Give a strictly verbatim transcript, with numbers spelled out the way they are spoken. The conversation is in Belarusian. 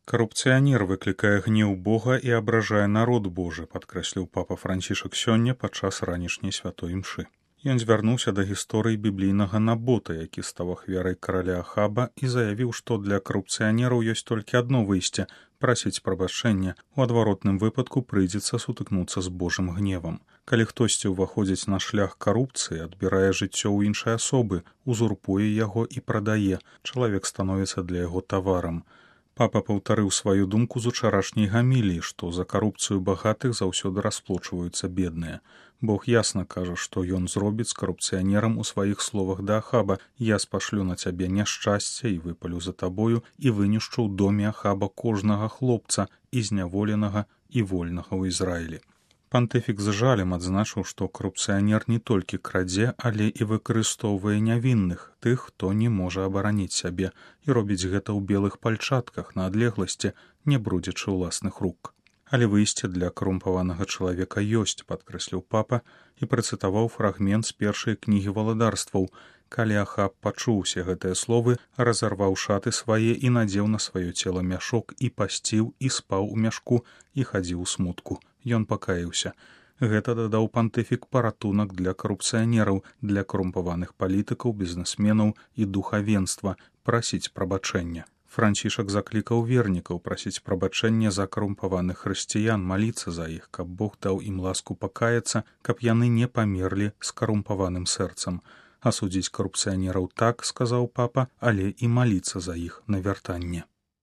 Карупцыянер выклікае гнеў Бога і абражае народ Божы, падкрэсліў папа Францішак сёння падчас ранішняй святой імшы. Ён звярнуўся да гісторыі біблійнага Набота, які стаў ахвярай караля Ахаба, і заявіў, што для карупцыянераў ёсць толькі адно выйсце – прасіць прабачэння. У адваротным выпадку прыйдзецца сутыкнуцца з Божым гневам. Калі хтосьці ўваходзіць на шлях карупцыі, адбірае жыццё ў іншай асобы, узурпуе яго і прадае, чалавек становіцца для яго таварам. Папа паўтарыў сваю думку з учарашняй гаміліі, што за карупцыю багатых заўсёды расплочваюцца бедныя. Бог ясна кажа, што ён зробіць з карупцыянерам у сваіх словах да Ахаба: «Я спашлю на цябе няшчасце і выпалю за табою і вынішчу ў доме Ахаба кожнага хлопца, і зняволенага, і вольнага ў Ізраілі». Пантыфік з жалем адзначыў, што карупцыянер не толькі крадзе, але і выкарыстоўвае нявінных, тых, хто не можа абараніць сябе, і робіць гэта ў белых пальчатках на адлегласці, не брудзячы ўласных рук. Але выйсце для карумпаванага чалавека ёсць, падкрэсліў папа і працытаваў фрагмент з першай кнігі валадарстваў. Калі Ахаб пачуў усе гэтыя словы, разарваў шаты свае і надзеў на сваё цела мяшок і пасціў і спаў у мяшку і хадзіў у смутку. Ён пакаіўся. Гэта, дадаў пантыфік, паратунак для карупцыянераў, для карумпаваных палітыкаў, бізнесменаў і духавенства прасіць прабачэння. Францішак заклікаў вернікаў прасіць прабачэння за карумпаваных хрысціян, маліцца за іх, каб Бог даў ім ласку пакаяцца, каб яны не памерлі з карумпаваным сэрцам. Асудзіць карупцыянераў так, сказаў папа, але і маліцца за іх на вяртанне.